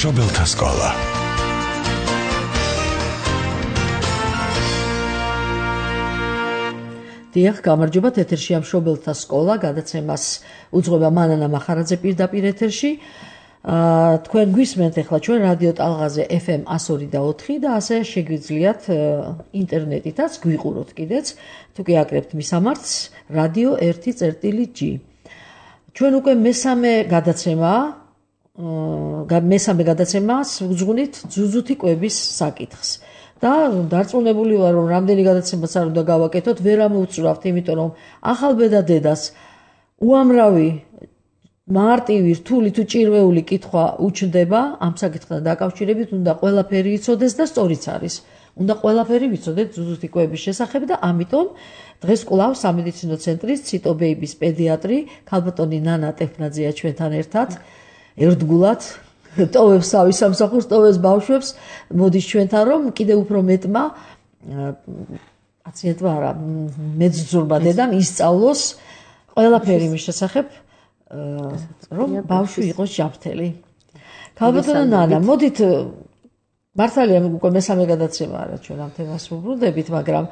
მშობელთა სკოლა. დიახ, გამარჯობათ, ეთერშია მშობელთა სკოლა, გადაცემას უძღვება მანანა მახარაძე პირდაპირ ეთერში. თქვენ გვისმენთ ახლა ჩვენ რადიო ტალღაზე FM 102.4 და ასე შეგვიძლიათ ინტერნეტითაც გვიყუროთ კიდეც, თუ კი აკრებთ მისამართს რადიო 1.G. ჩვენ უკვე მესამე გადაცემას ვუძღვნით ძუძუთი კვების საკითხს. და დარწმუნებული ვარ, რომ რამდენი გადაცემაც არ უნდა გავაკეთოთ, ვერ ამოვწურავთ, იმიტომ რომ ახალბედა დედას უამრავი მარტივი, რთული თუ ჭირვეული კითხვა უჩნდება ამ საკითხთან დაკავშირებით, უნდა ყველაფერი იცოდეს და სწორიც არის. უნდა ყველაფერი ვიცოდეთ ძუძუთი კვების შესახებ და ამიტომ დღეს კვლავ სამედიცინო ცენტრის ციტობეიბის პედიატრი ქალბატონი ნანა ტეფნაძეა ჩვენთან ერთად, ერთგულად ტოვებს თავის სამსახურს, ტოვებს ბავშვებს, მოდის ჩვენთან, რომ კიდევ უფრო მეტმა პაციენტმა არა, მეძძურმა დედამ ისწავლოს ყველაფერი მის შესახებ, რომ ბავშვი იყოს ჯანმრთელი. ქალბატონო ნანა, მოდით მართალია უკვე მესამე გადაცემა არა ჩვენ ამ თემას ვუბრუნდებით, მაგრამ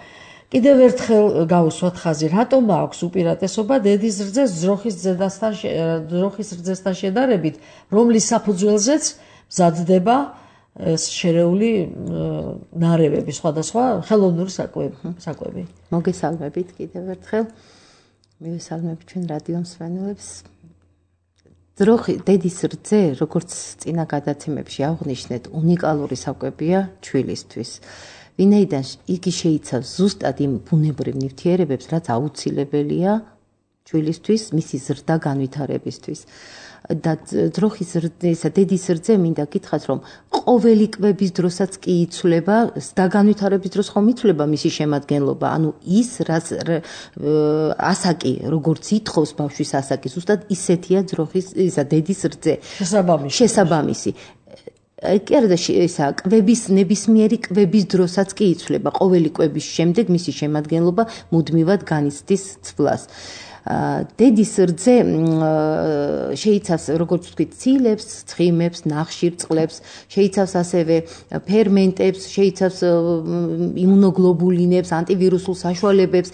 კიდევ ერთხელ გავუსვათ ხაზი, რატომ აქვს უპირატესობა დედის რძეს ძროხის რძესთან შედარებით, რომლის საფუძველზეც მზადდება შერეული ნარევები, სხვადასხვა ხელოვნური საკვები. მოგესალმებით კიდევ ერთხელ. მივესალმებით ჩვენ რადიო მსმენელებს. დედის რძე, როგორც წინა გადაცემებში აღვნიშნეთ, უნიკალური საკვებია ჩვილისთვის. ვინაიდან იგი შეიცავს ზუსტად იმ ბუნებრივ ნივთიერებებს, რაც აუცილებელია ჩვილისთვის, მისი ზრდა განვითარებისთვის. და ძროხის რძესა, დედის რძე მინდა გითხრათ, რომ ყოველი კვების დროსაც კი იცვლება, და განვითარების დროს ხომ იცვლება მისი შემადგენლობა, ანუ ის რაც ასაკი, როგორც ითხოვს ბავშვის ასაკი, ზუსტად ისეთია დედის რძე. შესაბამისი. კი არა და ისა კვების ნებისმიერი კვების დროსაც კი იცვლება, ყოველი კვების შემდეგ მისი შემადგენლობა მუდმივად განიცდის ცვლას. დედის რძე შეიცავს, როგორც ვთქვით, ცილებს, ცხიმებს, ნახშირწყლებს, შეიცავს ასევე ფერმენტებს, შეიცავს იმუნოგლობულინებს, ანტივირუსულ საშუალებებს.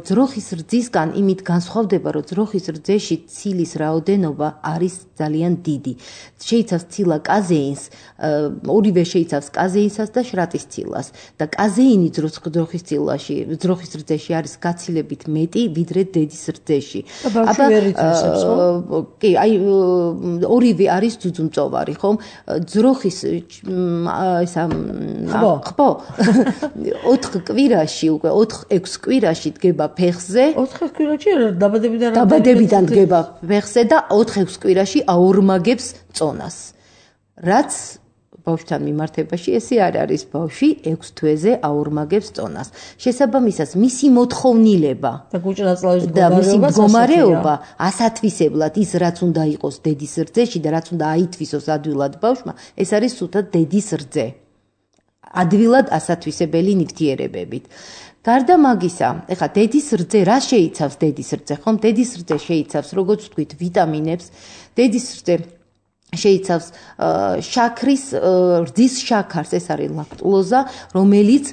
ძროხის რძისგან იმით განსხვავდება, რომ ძროხის რძეში ცილის რაოდენობა არის ძალიან დიდი. შეიცავს ცილა კაზეინს, ორივე შეიცავს კაზეინსაც და შრატის ცილას და კაზეინი ძროხის რძეში არის გაცილებით მეტი, ვიდრე დედის რძეში. კი, აი ორივე არის ძუძუმწოვარი, ხომ? ძროხის ხბო 4 კვირაში, უკვე 4-6 კვირაში დგება ფეხზე. 4 კვირაში დაბადებიდან დგება ფეხზე და 4-6 კვირაში აორმაგებს წონას. რაც ბავშვთან მიმართებაში ესე არ არის, ბავშვი 6 თვეზე აორმაგებს წონას. შესაბამისად, მისი მოთხოვნილება და მისი მდგომარეობა ასათვისებლად ის რაც უნდა იყოს დედის რძეში და რაც უნდა აითვისოს ადვილად ბავშვმა, ეს არის სულთად დედის რძე. ადვილად ასათვისებელი ნივთიერებებით. გარდა მაგისა, ეხლა დედის რძე რა შეიცავს დედის რძე, ხომ? დედის რძე შეიცავს, როგორც ვთქვით, ვიტამინებს, დედის რძე შეიცავს შაქრის, რძის შაქარს, ეს არის ლაქტულოზა, რომელიც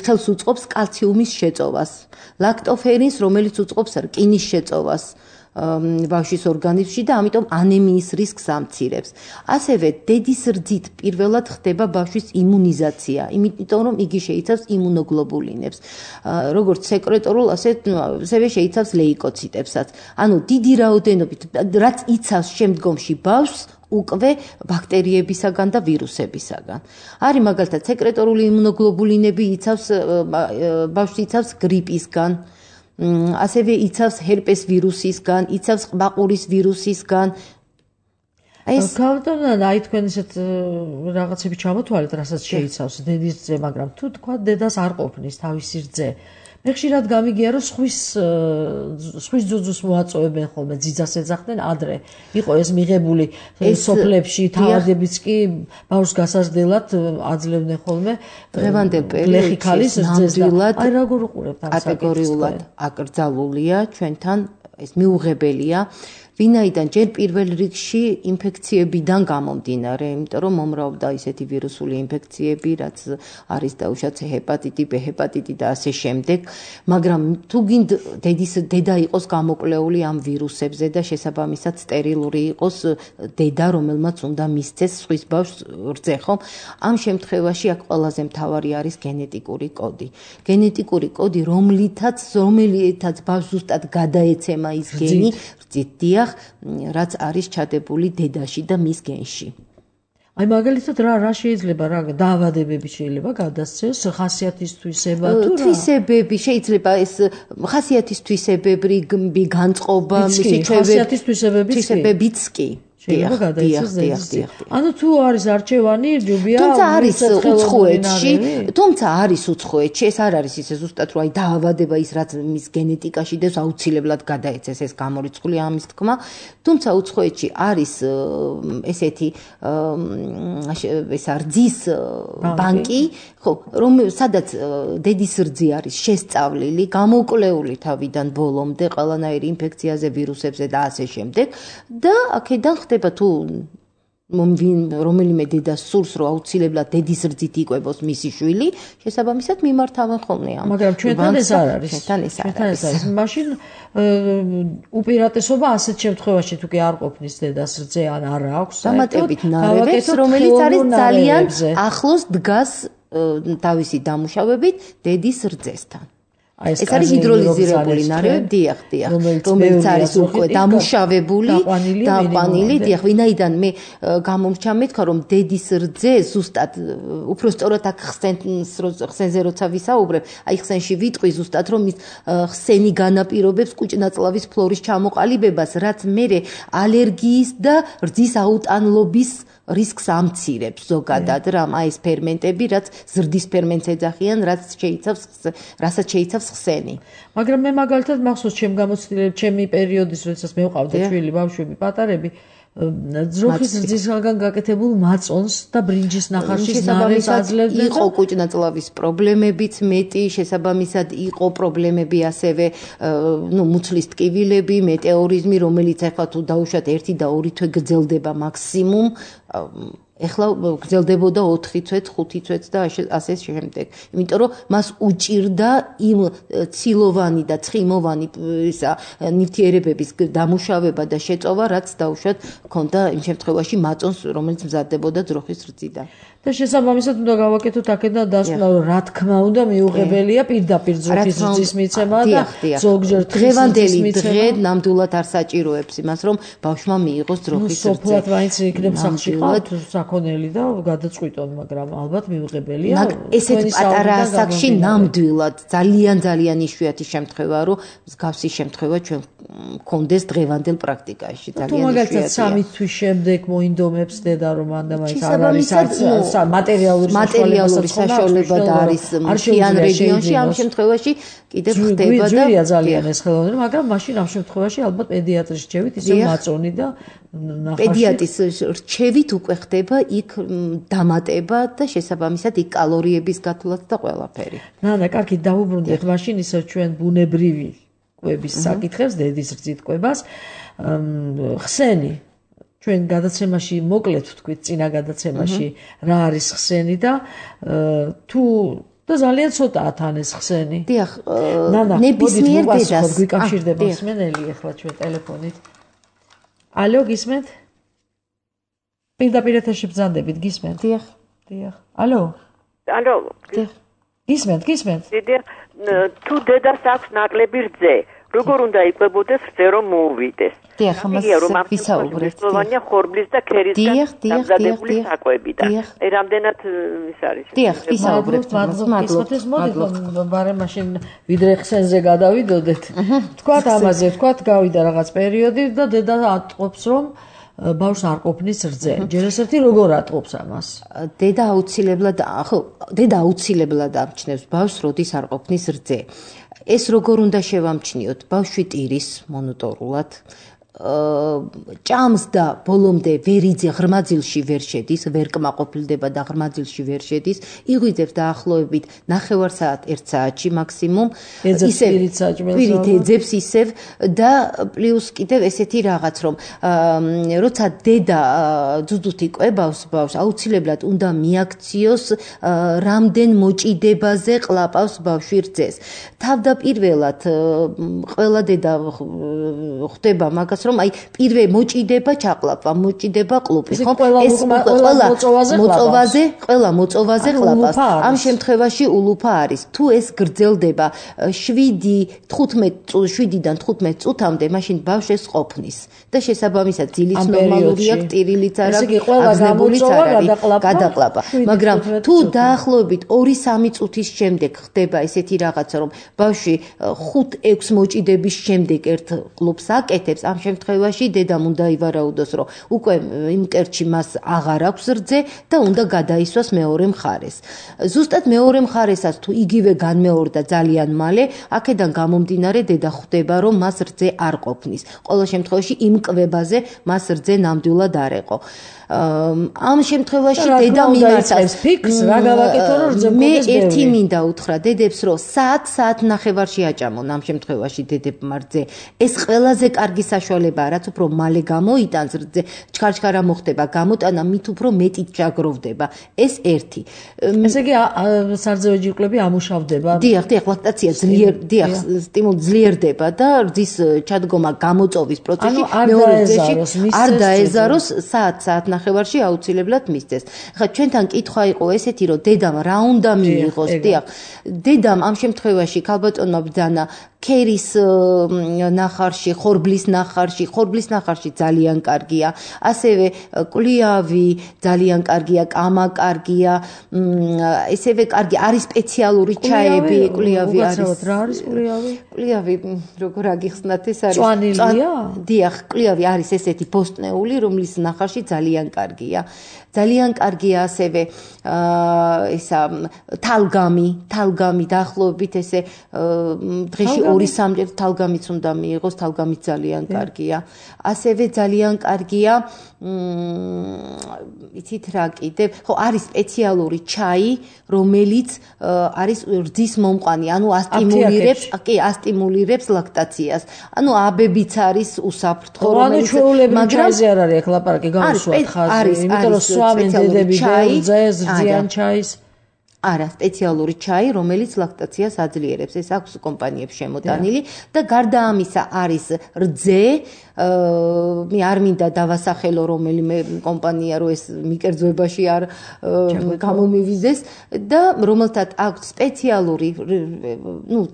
ხელს უწყობს კალციუმის შეწოვას, ლაქტოფერინს, რომელიც უწყობს რკინის შეწოვას ბავშვის ორგანიზმში და ამიტომ ანემიის რისკს ამცირებს. ასევე დედის რძით პირველად ხდება ბავშვის იმუნიზაცია, იმიტომ რომ იგი შეიცავს იმუნოგლობულინებს, როგორც სეკრეტორულ, ასევე შეიცავს ლეიკოციტებსაც. ანუ დიდი რაოდენობით, რაც იცავს შემდგომში ბავშვს უკვე ბაქტერიებისაგან და ვირუსებისაგან. არის მაგალითად სეკრეტორული იმუნოგლობულინები ბავშვს იცავს გრიპისგან, ასევე იცავს ჰერპეს ვირუსისგან, იცავს ყბაყურის ვირუსისგან. ქალბატონო, აი თქვენ ისეთ რაღაცები ჩამოთვალეთ, რასაც შეიცავს დედის რძე, მაგრამ თუ თქვა დედას არ ყოფნის თავისი რძე, მე ხშირად გამიგია, რომ სხვის ძუძუს მოაწოვებენ ხოლმე, ძიძას ეძახდნენ ადრე. იყო ეს მიღებული სოფლებში, თავადებიც კი ბავშვს გასაზრდელად აძლევდნენ ხოლმე. დღევანდელ პერიოდში ნამდვილად აი როგორ უყურებთ ამ საკითხს? კატეგორიულად აკრძალულია ჩვენთან, ეს მიუღებელია. ვინაიდან ჯერ პირველ რიგში ინფექციებიდან გამომდინარე, იმიტომ რომ მომრავლდა ისეთი ვირუსული ინფექციები, რაც არის დაუშვათ ჰეპატიტი, B ჰეპატიტი და ასე შემდეგ, მაგრამ თუ გინდ დედა იყოს გამოკვლეული ამ ვირუსებზე და შესაბამისად სტერილური იყოს დედა, რომელმაც უნდა მისცეს სხვის ბავშვს რძე, ხომ? ამ შემთხვევაში აქ ყველაზე მთავარი არის გენეტიკური კოდი. გენეტიკური კოდი, რომელითაც ბავშვს ზუსტად გადაეცემა ის გენი, დიახ, რაც არის ჩადებული დედაში და მის გენში. აი მაგალითად რა შეიძლება რა დაავადებები შეიძლება გადასცეს ხასიათის თვისება თუ რა? თვისებები შეიძლება ეს ხასიათის თვისებები, განწყობა, ხასიათის თვისებებიც კი. დიახ. ანუ თუ არის არჩევანი, ჯობია თუმცა არის უცხოეთში, ეს არ არის ისე ზუსტად რომ აი დაავადება ის რაც მის გენეტიკაში და აუცილებლად გადაეცეს ეს გამორიცხული ამის თქმა, თუმცა უცხოეთში არის ესეთი ეს რძის ბანკი, ხო, სადაც დედის რძი არის შესწავლილი, გამოკვლეული თავიდან ბოლომდე ყველანაირი ინფექციაზე, ვირუსებზე და ასე შემდეგ და აქედან ხდება თუ რომელიმე დედას სურს რომ აუცილებლად დედის რძით იკვებოს მისი შვილი, შესაბამისად მიმართავენ ხოლმე ამ. მაგრამ ჩვენთან ეს არ არის. მაშინ უპირატესობა ასეთ შემთხვევაში თუ კი არ ყოფნის დედას რძე ან არ აქვს, დამატებით ნარევებს, რომელიც არის ძალიან ახლოს დგას თავისი დამუშავებით დედის რძესთან. ეს არის ჰიდროლიზირებული ნარევი, დიახ, რომელიც არის უკვე დამუშავებული, დაყვანილი, დიახ, ვინაიდან მე გამომრჩა მეთქვა რომ დედის რძე ზუსტად უფრო სწორად აქ ხსენზე როცა ვისაუბრებ, აი ხსენში ვიტყვი ზუსტად რომ ის ხსენი განაპირობებს კუჭნაწლავის ფლორის ჩამოყალიბებას, რაც მერე ალერგიის და რძის აუტანლობის რისკს ამცირებს ზოგადად რამ აი ეს ფერმენტები, რაც ზრდის ფერმენტს ეძახიან, რასაც შეიცავს ხსენი. მაგრამ მე მაგალითად მახსოვს ჩემ გამოცდილებაში, ჩემი პერიოდის, როდესაც მე ვყავდა ჩვილი ბავშვები, პატარები, ძროხის რძისგან გაკეთებულ მაწონს და ბრინჯის ნახარშის ნარევს აძლევდნენ. იყო კუჭნაწლავის პრობლემებიც მეტი, შესაბამისად იყო პრობლემები ასევე მუცლის ტკივილები, მეტეორიზმი, რომელიც ახლა თუ დაუშვათ 1 და 2 თვე გრძელდება მაქსიმუმ, ეხლა გრძელდებოდა 4 თვეც, 5 თვეც და ასე შემდეგ. იმიტომ რომ მას უჭირდა იმ ცილოვანი და ცხიმოვანი ნივთიერებების დამუშავება და შეწოვა, რაც დაუშვათ ქონდა იმ შემთხვევაში მაწონს, რომელიც მზადდებოდა ძროხის რძიდან. და შესაბამისად უნდა გავაკეთოთ აქედან დასკვნა, რომ რა თქმა უნდა მიუღებელია პირდაპირ ძროხის რძის მიცემა და ზოგჯერ დღევანდელი დღე ნამდვილად არ საჭიროებს იმას, რომ ბავშვმა მიიღოს ძროხის რძე. სოფლად მაინც იქნებ სახლში ყავთ საქონელი და გადაწყვიტონ, მაგრამ ალბათ მიუღებელია. ესეთ პატარა ასაკში ნამდვილად ძალიან იშვიათი შემთხვევაა, რომ მსგავსი შემთხვევა ჩვენ გქონდეს დღევანდელ პრაქტიკაში. თუ მაგალითად 3 თვის შემდეგ მოინდომებს დედა რომ მანდა მაინც არ არის მატერიალური საშუალება და არის მთიან რეგიონში, ამ შემთხვევაში კიდევ ხდება და ძვირია ძალიან ეს ხელოვნება, მაგრამ მაშინ ამ შემთხვევაში ალბათ პედიატრის რჩევით ისე მაწონი და პედიატრის რჩევით უკვე ხდება იქ დამატება და შესაბამისად იქ კალორიების გათვლაც და ყველაფერი. კარგი, დავუბრუნდეთ მაშინ ისე ჩვენ ბუნებრივი კვების საკითხებს, დედის რძით კვებას, ხსენი ჩვენ გადაცემაში მოკლედ ვთქვით წინა გადაცემაში რა არის ხსენი და თუ და ძალიან ცოტაა თან ეს ხსენი. დიახ, ნებისმიერ დედას გვიკავშირდება მსმენელი ახლა ჩვენ ტელეფონით. ალო, გისმენთ? პირდაპირ ეთერში ბრძანდებით, გისმენთ? დიახ. ალო? დიახ. გისმენთ? დიახ, თუ დედას აქვს ნაკლები რძე, როგორ უნდა იკვებოდეს რძე რომ მოუვიდეს? დიახ, ამას ვისაუბრებთ. სლოვანია ხორბლის და ქერისგან დამზადებული საკვები და რამდენად ის არის. დიახ, ვისაუბრებთ. მოდით ბარე მაშინ ვიდრე ხსენზე გადავიდოდეთ. თქვათ ამაზე, გავიდა რაღაც პერიოდი და დედა ატყობს რომ ბავშვს არ ყოფნის რძე. ჯერ ესეთი როგორ ატყობს ამას? დედა აუცილებლად ამჩნევს ბავშვს, როდის არ ყოფნის რძე. ეს როგორ უნდა შევამჩნიოთ? ბავშვი ტირის მონოტორულად ჭამს და ბოლომდე ვერიძე ღრმაძილში ვერ შედის, ვერ კმაყოფილდება და ღრმაძილში ვერ შედის, იღვიძებს დაახლოებით 9 საათ 1 საათში მაქსიმუმ, პირით ეძებს ისევ და პლუს კიდევ ესეთი რაღაც, რომ როცა დედა ძუძუთი კვებავს ბავშვს, აუცილებლად უნდა მიაქციოს რამდენ მოჭიდებაზე ყლაპავს ბავშვი რძეს. თავდაპირველად ყველა დედა ხდება მაგას, რომ აი პირველ მოჭიდება ჩაყლაპვა, მოჭიდება ყლუპი, ხო? ეს ყველა მოწოვაზე ყლაპავს. ამ შემთხვევაში ულუფა არის. თუ ეს გრძელდება 7-15 წუთამდე, მაშინ ბავშვს ეს ყოფნის და შესაბამისად ძილიც ნორმალურია, ტირილიც არ აქვს, აგზნებულიც არ არის გადაყლაპა. მაგრამ თუ დაახლოებით 2-3 წუთის შემდეგ ხდება ესეთი რაღაცა, რომ ბავშვი 5-6 მოჭიდების შემდეგ ერთ ყლუპს აკეთებს, ამ შემთხვევაში დედამ უნდა ივარაუდოს, რომ უკვე იმ კერტში მას აღარ აქვს რძე და უნდა გადაისვას მეორე მხარეს. ზუსტად მეორე მხარესაც თუ იგივე განმეორდა ძალიან მალე, აქედან გამომდინარე დედა ხვდება, რომ მას რძე არ ყოფნის. ყოველ შემთხვევაში იმ კვებაზე მას რძე ნამდვილად არ ეყო. ამ შემთხვევაში დედა მიმართავს ფიქს რა გავაკეთო რომ რძე მე ერთი მინდა უთხრა დედებს, რომ საათ ნახევარში აჭამონ ამ შემთხვევაში დედებმა რძე. ეს ყველაზე კარგი საშუალებაა, რაც უფრო მალე გამოიტანს რძე, ჩქარჩქარა მოხდება გამოტანა, მით უფრო მეტი ჩაგროვდება. ეს ერთი. ესე იგი სარძევი ჯირკვლები ამუშავდება. დიახ, ლაქტაცია სტიმული ძლიერდება და რძის ჩადგომა გამოწოვის პროცესში მეორე რძეში არ დაეზაროს საათ ნახევარში აუცილებლად მისცეს. ხა ჩვენთან კითხვა იყო ესეთი, რომ დედამ რა უნდა მიიღოს, დიახ. დედამ ამ შემთხვევაში ქალბატონმა ბრძანა ქერის ნახარში, ხორბლის ნახარში ძალიან კარგია. ასევე კლიავი ძალიან კარგია, კამა კარგია. ესევე კარგი არის სპეციალური ჩაები, კლიავი არის. რა არის კლიავი? კლიავი როგორ აგიხსნათ, ეს არის წვანილია? დიახ, კლიავი არის ესეთი ბოსტნეული, რომლის ნახარში ძალიან კარგია. ძალიან კარგია ასევე ისა თალგამი დაახლოებით ესე დღეში 2-3 თალგამიც უნდა მიიღოს, თალგამიც ძალიან კარგია. ასევე ძალიან კარგია იცით რა კიდევ, ხო არის სპეციალური ჩაი, რომელიც არის რძის მომყვანი, ანუ ასტიმულირებს ლაქტაციას. ანუ აბებიც არის უსაფრთხო, რომელიც მაგრამ ჩაიზე არ არის აქ ლაპარაკი გავუსვათ ხაზი, იმიტომ რომ სვამენ დედები რძეს, რძიან ჩაის. არა, სპეციალური ჩაი, რომელიც ლაქტაციას აძლიერებს. ეს აქვს კომპანიებს შემოტანილი და გარდა ამისა არის რძე, მე არ მინდა დავასახელო რომელიმე კომპანია, რომ ეს მიკერძოებაში არ გამომივიდეს და რომელთაც აქვს სპეციალური,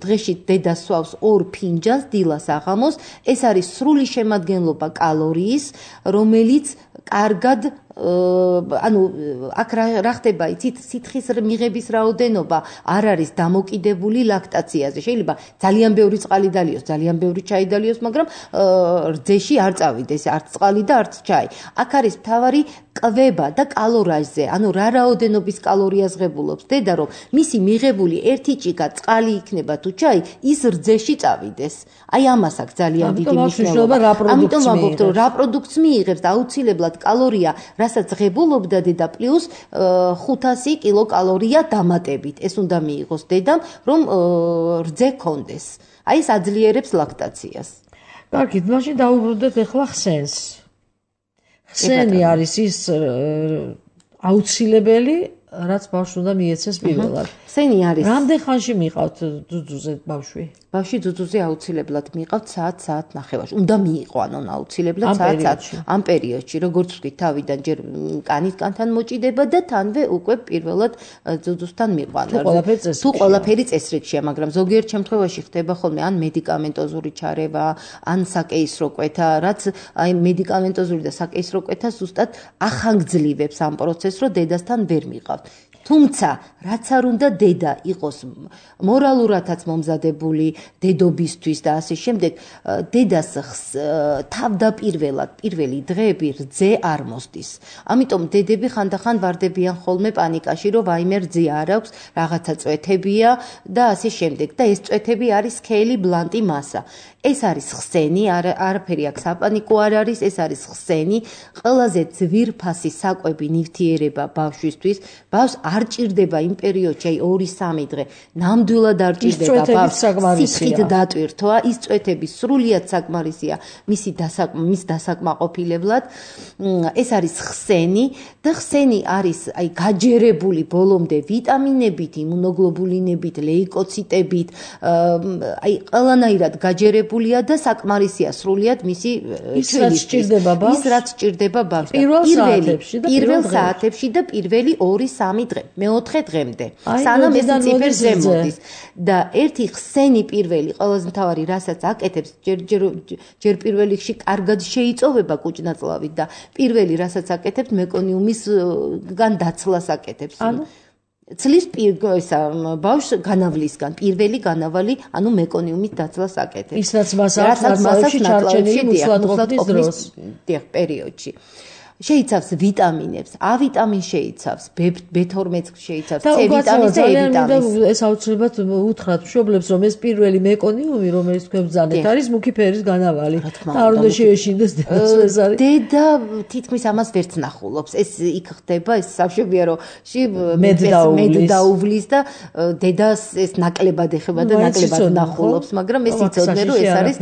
დღეში დედა სვავს 2 ფინჯანს დილას აღამოს, ეს არის სრული შემადგენლობა კალორიის, რომელიც კარგად ანუ აქ რა ხდება, იცით, სითხის მიღების რაოდენობა არ არის დამოკიდებული ლაქტაციაზე. შეიძლება ძალიან ბევრი წყალი დალიოს, ძალიან ბევრი ჩაი დალიოს, მაგრამ რძეში არ წავიდეს არც წყალი და არც ჩაი. აქ არის მთავარი კვება და კალორაჟზე, ანუ რა რაოდენობის კალორიას ღებულობს დედა, რომ მისი მიღებული ერთი ჭიქა წყალი იქნება თუ ჩაი, ის რძეში წავიდეს. აი ამას აქვს ძალიან დიდი მნიშვნელობა. ამიტომ ვამბობთ, რომ რა პროდუქტს მიიღებს და აუცილებლად კალორია რასაც ღებულობდა დედა პლუს 500 კილოკალორია დამატებით. ეს უნდა მიიღოს დედამ, რომ რძე კონდეს. აი ეს აძლიერებს ლაქტაციას. კარგი, მაშინ დაუბრუნდეთ ახლა ხსენს. ხსენი არის ის აუცილებელი, რაც ბავშვს უნდა მიეცეს პირველად. ხსენი არის. რამდენ ხანში მიყავთ ძუძუზე ბავშვი? ბავშვი ძუძუზე აუცილებლად მიყავთ საათ ნახევარში. უნდა მიიყო, ანუ აუცილებლად საათ ამ პერიოდში, როგორც ვთქვით, თავიდან ჯერ კანისკანთან მოჭიდება და თანვე უკვე პირველად ძუძუსთან მიყვანა. თუ ყველაფერი წესრიგშია, მაგრამ ზოგიერთ შემთხვევაში ხდება ხოლმე ან მედიკამენტოზური ჩარევა, ან საკეისრო კვეთა, რაც აი მედიკამენტოზური და საკეისრო კვეთა ზუსტად ახანგძლივებს ამ პროცესს, რომ დედასთან ვერ მიყავთ. თუმცა რაც არ უნდა დედა იყოს მორალურადაც მომზადებული დედობისთვის და ასე შემდეგ დედას თავდაპირველად პირველი დღეები რძე არ მოსდის. ამიტომ დედები ხანდახან ვარდებიან ხოლმე პანიკაში, რომ ვაიმე რძე არ აქვს, რაღაცა წვეთებია და ასე შემდეგ. და ეს წვეთები არის სქელი ბლანტი მასა. ეს არის ხსენი, არაფერი აქ საპანიკო არ არის, ეს არის ხსენი, ყველაზე ძვირფასი საკვები ნივთიერება ბავშვისთვის. ბავშვს არ ჭირდება იმ პერიოდში, აი 2-3 დღე, ნამდვილად არ ჭირდება ბავშვს სიცხით დატვირთვა, ის წვეთები სრულიად საკმარისია მის დასაკმაყოფილებლად. ეს არის ხსენი და ხსენი არის აი გაჯერებული ბოლომდე ვიტამინებით, იმუნოგლობულინებით, ლეიკოციტებით, აი ყველანაირად გაჯერებული და საკმარისია სრულიად მისი ჩვენისთვის. ის რაც ჭირდება ბავშვს. პირველ საათებში და პირველი 2-3 დღე, მეოთხე დღემდე. სანამ ეს ციფერზე მოდის და ერთი ხსენი პირველი ყველაზე მთავარი რასაც აკეთებს, ჯერ პირველ რიგში კარგად შეიწოვება კუჭნაწლავით და პირველი რასაც აკეთებს მეკონიუმისგან დაცლას აკეთებს. ცლის ბავშვს განავლისგან პირველი განავალი, ანუ მეკონიუმის დაცლას აკეთებს. ის რაც მას აქვს ჩარჩენილი მუცლადყოფნის დროს. პერიოდში. შეიცავს ვიტამინებს, A ვიტამინს შეიცავს, B12 შეიცავს, C ვიტამინს და E ვიტამინს. ეს აუცილებლად უთხრათ მშობლებს, რომ ეს პირველი მეკონიუმი, რომელიც თქვენ ბრძანეთ, არის მუქი ფერის განავალი. და არ უნდა შეეშინდეს დედას ეს არის. დედა თითქმის ამას ვერც ნახულობს. ეს იქ ხდება, ეს სამშობია, რომ მედ დაუვლის და დედას ეს ნაკლებად ეხება და ნაკლებად ნახულობს, მაგრამ ეს იცოდნენ, რომ ეს არის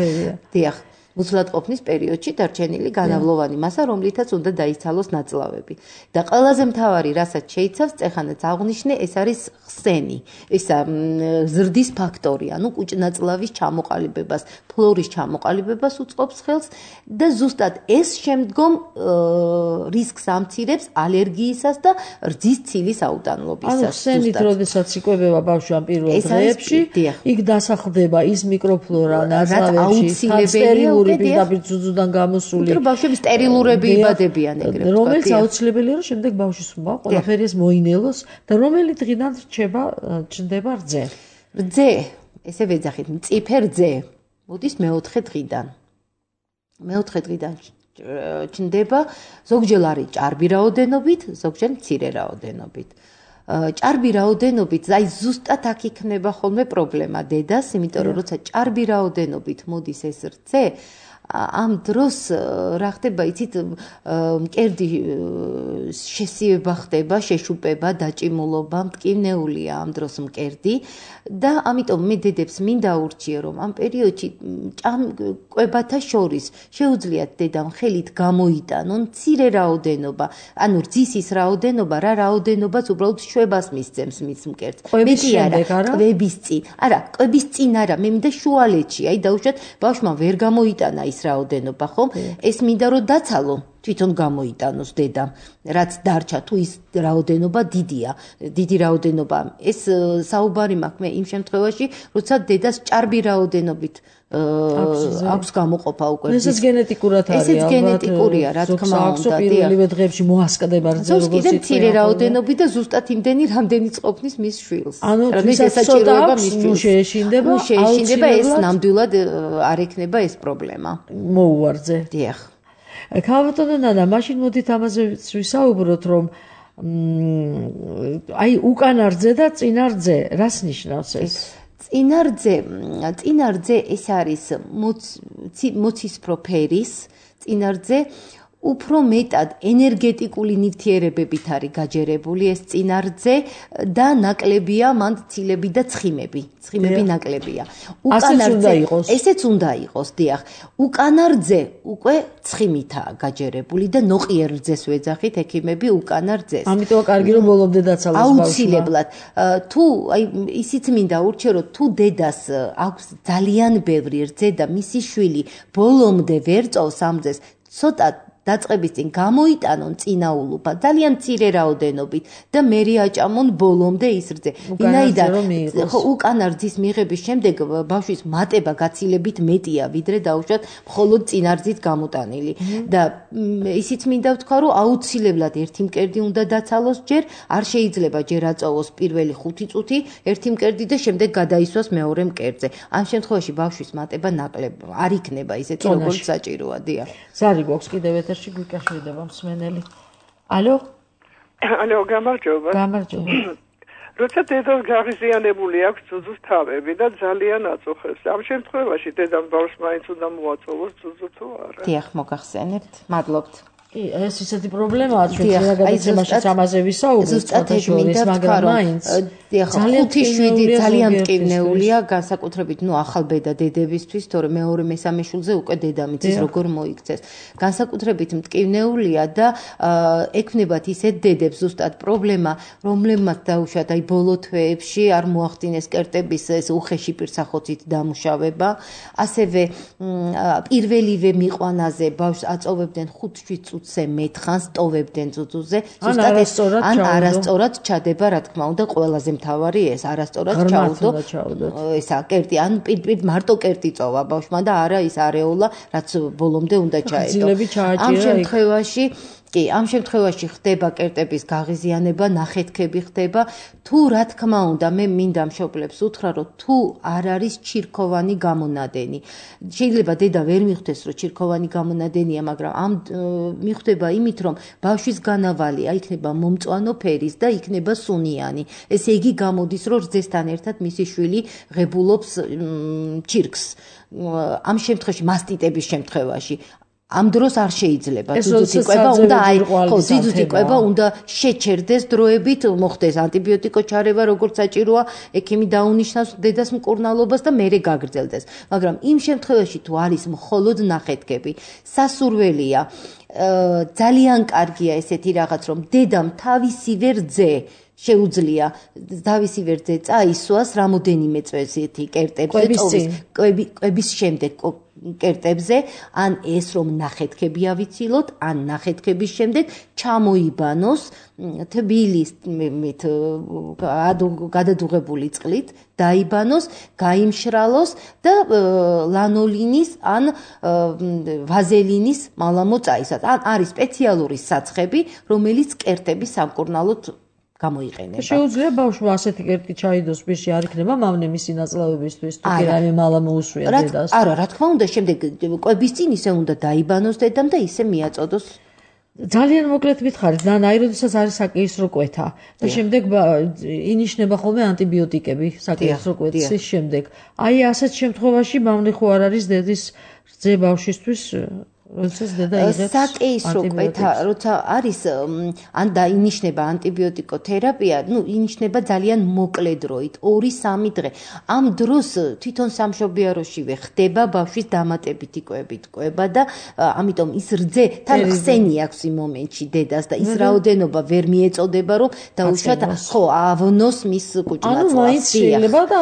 დიახ. მუცლადყოფნის პერიოდში დარჩენილი განავლოვანი მასა, რომლითაც უნდა დაიცალოს ნაწლავები. და ყველაზე მთავარი, რასაც შეიცავს, წეხანაც აღვნიშნე, ეს არის ხსენი. ესა ზრდის ფაქტორი, ანუ კუჭნაწლავის ჩამოყალიბებას, ფლორის ჩამოყალიბებას უწყობს ხელს და ზუსტად ეს შემდგომ რისკს ამცირებს ალერგიისას და რძის ცილის აუტანლობისას. ანუ ხსენით, როდესაც იკვებება ბავშვი ამ პირველ დღეებში, იქ დასახლდება ის მიკროფლორა ნაწლავებში, აუცილებელია პირდაპირ ძუძუდან გამოსული. იმიტომ ბავშვები სტერილურები იბადებიან ეგრევე. რომელიც აუცილებელია, რომ შემდეგ ბავშვის ყველაფერი ეს მოინელოს და რომელი დღიდან ჩნდება რძე. რძე, ესე ვეძახით, მწიფე რძე. მოდის მეოთხე დღიდან. მეოთხე დღიდან ჩნდება, ზოგჯერ არის ჭარბი რაოდენობით, ზოგჯერ მცირე რაოდენობით. ჭარბი რაოდენობით, აი ზუსტად აქ იქნება ხოლმე პრობლემა დედას, იმიტომ რომ როცა ჭარბი რაოდენობით მოდის ეს რძე, ამ დროს რა ხდება, იცით, მკერდი შესიება ხდება, შეშუპება, დაჭიმულობა, მტკივნეულია ამ დროს მკერდი და ამიტომ მე დედებს მინდა ურჩიე, რომ ამ პერიოდში კვებათა შორის შეუძლიათ დედამ ხელით გამოიტანონ მცირე რაოდენობა, ანუ რძის ის რაოდენობა, რა რაოდენობას უბრალოდ შვებას მისცემს მის მკერდს. კვების შემდეგ არა? კვების წინ. არა, კვების წინ არა, მე მინდა შუალედში, აი დაუშვათ ბავშვმა ვერ გამოიტანა ის რაოდენობა, ხომ? ეს მინდა რომ დაცალო, თვითონ გამოიტანოს დედამ, რაც დარჩა, თუ ის რაოდენობა დიდია, დიდი რაოდენობა. ეს საუბარი მაქვს მე იმ შემთხვევაში, როცა დედას ჭარბი რაოდენობით აქვს გამოყოფა უკვე. ესეც გენეტიკურად არის. ესეც გენეტიკურია, რა თქმა უნდა. პირველივე დღეებში მოასკდება რძე, როგორც კიდე მცირე რაოდენობით და ზუსტად იმდენი, რამდენიც ყოფნის მის შვილს. ანუ შესაძლოა მის შეეშინდება, ეს ნამდვილად არ ექნება ეს პრობლემა. მოუვარზე. დიახ. ქალბატონო ნანა, მაშინ მოდით ამაზე ვისაუბროთ, რომ აი უკანა რძე და წინა რძე, რას ნიშნავს ეს? წინა რძე ეს არის მოცისფრო ფერის წინა რძე, უფრო მეტად ენერგეტიკული ნივთიერებებით არის გაჯერებული ეს წინა რძე და ნაკლებია მან ცილები და ცხიმები ნაკლებია. უკანა რძე ესეც უნდა იყოს, დიახ. უკანა რძე უკვე ცხიმითაა გაჯერებული და ნოყიერ რძეს ვეძახით ექიმები უკანა რძეს. ამიტომ კარგი რომ ბოლომდე დაცალოს ბავშვმა. აუცილებლად. თუ აი ისიც მინდა ურჩიო, რომ თუ დედას აქვს ძალიან ბევრი რძე და მისი შვილი ბოლომდე ვერ წოვს ამ რძეს, ცოტა დაწყების წინ გამოიტანონ წინაულობა ძალიან მცირე რაოდენობით და მერე აჭამონ ბოლომდე ის რძე. ვინაიდან უკანა რძის მიღების შემდეგ ბავშვის მატება გაცილებით მეტია, ვიდრე დაუშვათ მხოლოდ წინარძით გამოტანილი. და ისიც მინდა ვთქვა, რომ აუცილებლად ერთი მკერდი უნდა დაცალოს ჯერ, არ შეიძლება ჯერ აწოვოს პირველი 5 წუთი ერთი მკერდი და შემდეგ გადაისვას მეორე მკერდზე. ამ შემთხვევაში ბავშვის მატება ნაკლებ არ იქნება ისეთი როგორც საჭიროა. დიახ. ზარი გვაქვს კიდევ ეთერში გვიკავშირდება მსმენელი. ალო? ალო, გამარჯობა. გამარჯობა. როცა დედას გაღიზიანებული აქვს ძუძუს თავები და ძალიან აწუხებს. ამ შემთხვევაში დედამ ბავშვს მაინც უნდა მოაწოვოს ძუძუ თუ არა? დიახ, მოგახსენებთ. მადლობთ. ეს ისეთი პრობლემაა, ჩვენ გადაცემაშიც ამაზე ვისაუბრეთ, მაგრამ მაინც ძალიან 5-7 ძალიან მტკივნეულია, განსაკუთრებით ახალბედა დედებისთვის, თორე მეორე მესამე შულზე უკვე დედამიწის როგორ მოიქცეს. განსაკუთრებით მტკივნეულია და ექნებათ ისეთ დედებს ზუსტად პრობლემა, რომლებმაც დაუშვათ ბოლო თვეებში არ მოახდინეს კერტების ეს უხეში პირსახოცით დამუშავება, ასევე პირველივე მიყვანაზე ბავშვს აწოვებდნენ 5-7 წუთზე მეთხანს ტოვებდნენ ძუძუზე, ზუსტად ან არასწორად ჩადება, რა თქმა უნდა, ყველაზე მთავარი ეს არასწორად ჩაუდო. ესა კერტი, ან პირდაპირ მარტო კერტი წოვა ბავშვმა და არა ის არეოლა, რაც ბოლომდე უნდა ჩაედო. ამ შემთხვევაში ხდება კერტების გაღიზიანება, ნახეთქები ხდება. თუ რა თქმა უნდა, მე მინდა მშობლებს უთხრა, რომ თუ არ არის ჩირქოვანი გამონადენი. შეიძლება დედა ვერ მიხვდეს, რომ ჩირქოვანი გამონადენია, მაგრამ ამ მიხვდება იმით, რომ ბავშვის განავალი იქნება მომწვანო ფერის და იქნება სუნიანი. ესე იგი გამოდის, რომ რძესთან ერთად მისი შვილი ღებულობს ჩირქს. ამ შემთხვევაში მასტიტების შემთხვევაში ამ დროს არ შეიძლება ძუძუთი კვება უნდა ძუძუთი კვება უნდა შეჩერდეს დროებით მოხდეს ანტიბიოტიკო ჩარევა როგორც საჭიროა ექიმი დაუნიშნავს დედას მკურნალობას და მერე გაგრძელდეს მაგრამ იმ შემთხვევაში თუ არის მხოლოდ ნახეთქები სასურველია ძალიან კარგია ესეთი რაღაც რომ დედამ თავისივე რძე შეუძლია თავისივე რძე წაისვას რამოდენიმე წვეზეთი კერტებზე კვების შემდეგ კერტებზე ან ეს რომ ნახეთქები ავიცილოთ ან ნახეთქების შემდეგ ჩამოიბანოს თბილის გადადუღებული წყლით დაიბანოს გაიმშრალოს და ლანოლინის ან ვაზელინის მალამო წაისვას ან არის სპეციალური საცხები რომელიც კერტების სამკურნალოდ გამოიყენება. შეუძლია ბავშვმა ასეთი კერტი ჩაიდოს პირში არ იქნება მავნე მისი ნაწლავებისთვის თუ კი რაიმე მალა მოუსვია დედას. არა, რა თქმა უნდა, შემდეგ კვების წინ ისე უნდა დაიბანოს დედამ და ისე მიაწოდოს. ძალიან მოკლედ მითხარით, ნანა, როდესაც არის საკეისრო კვეთა და შემდეგ ინიშნება ხოლმე ანტიბიოტიკები საკეისრო კვეთის შემდეგ. აი ასეთ შემთხვევაში მავნე ხო არ არის დედის რძე ბავშვისთვის როდესაც დედა იღებს საკეისრო კვეთა, როცა არის ან დაინიშნება ანტიბიოტიკოთერაპია, ინიშნება ძალიან მოკლე დროით, 2-3 დღე. ამ დროს თვითონ სამშობიაროშივე ხდება ბავშვის დამატებითი კვებით კვება და ამიტომ ის რძე თან ხსენი აქვს იმ მომენტში დედას და ის რაოდენობა ვერ მიეწოდება, რომ დაუშვათ ხო ავნოს მის კუჭმაწლას. ანუ მაინც შეიძლება და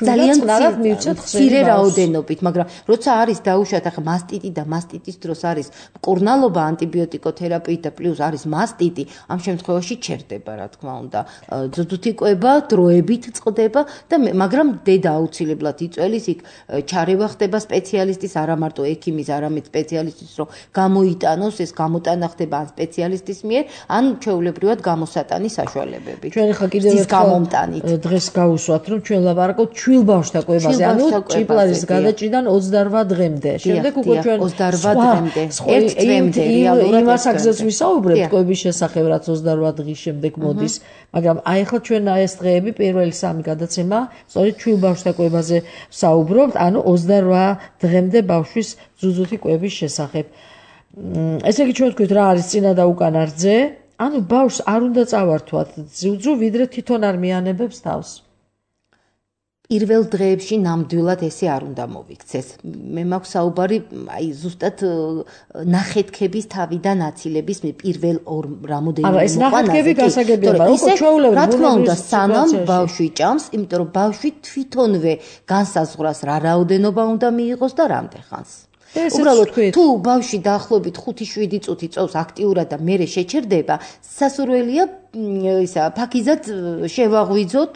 ძალიან წყნარად მივცეთ ხსენი რაოდენობით, მაგრამ როცა არის დაუშვათ ახლა მასტიტი და მასტიტის დროს არის მკურნალობა ანტიბიოტიკოთერაპიით და პლუს არის მასტიტი, ამ შემთხვევაში ჩერდება, რა თქმა უნდა. ძუძუთი კვება დროებით წყდება და მაგრამ დედა აუცილებლად იწველის იქ ჩარევა ხდება სპეციალისტის, არა მარტო ექიმის, არამედ სპეციალისტის, რომ გამოიტანოს, ეს გამოტანა ხდება ან სპეციალისტის მიერ, ან ჩვეულებრივად გამოსატანის საშუალებებით. ჩვენ ახლა კიდევ დღეს გავუსვათ, რომ ჩვენ ლაპარაკობთ ჩვილ ბავშვთა კვებაზე, ანუ ჭიპლარის გადაჭრიდან 28 დღემდე. შემდეგ უკვე ჩვენ 28 დღემდე, 1 წლამდე რეალურად იმას აქზეც ვისაუბრებთ კვების შესახებ, რაც 28 დღის შემდეგ მოდის, მაგრამ აი ახლა ჩვენ ეს დღეები პირველი 3 გადაცემა, სწორედ ჩვილ ბავშვთა კვებაზე ვსაუბრობთ, ანუ 28 დღემდე ბავშვის ძუძუთი კვების შესახებ. ესე იგი ჩვენ ვთქვით რა არის წინა და უკანა რძე, ანუ ბავშვს არ უნდა წავართვათ ძუძუ, ვიდრე თვითონ არ მიანებებს თავს. პირველ დღეებში ნამდვილად ესე არ უნდა მოვიქცეს. მე მაქვს საუბარი აი ზუსტად ნახეთქების თავიდან აცილების პირველ ორ რამოდენიმე მოყვანაზე. ეს ნახეთქები გასაგებია, მაგრამ უკვე ჩვეულებრივ რა თქმა უნდა სანამ ბავშვი ჭამს, იმიტომ რომ ბავშვი თვითონვე განსაზღვრას რა რაოდენობა უნდა მიიღოს და რამდენ ხანს. უბრალოდ თუ ბავშვი დაახლოებით 5-7 წუთი წოვს აქტიურად და მერე შეჩერდება, სასურველია ისა ფაქიზად შევაღვიძოთ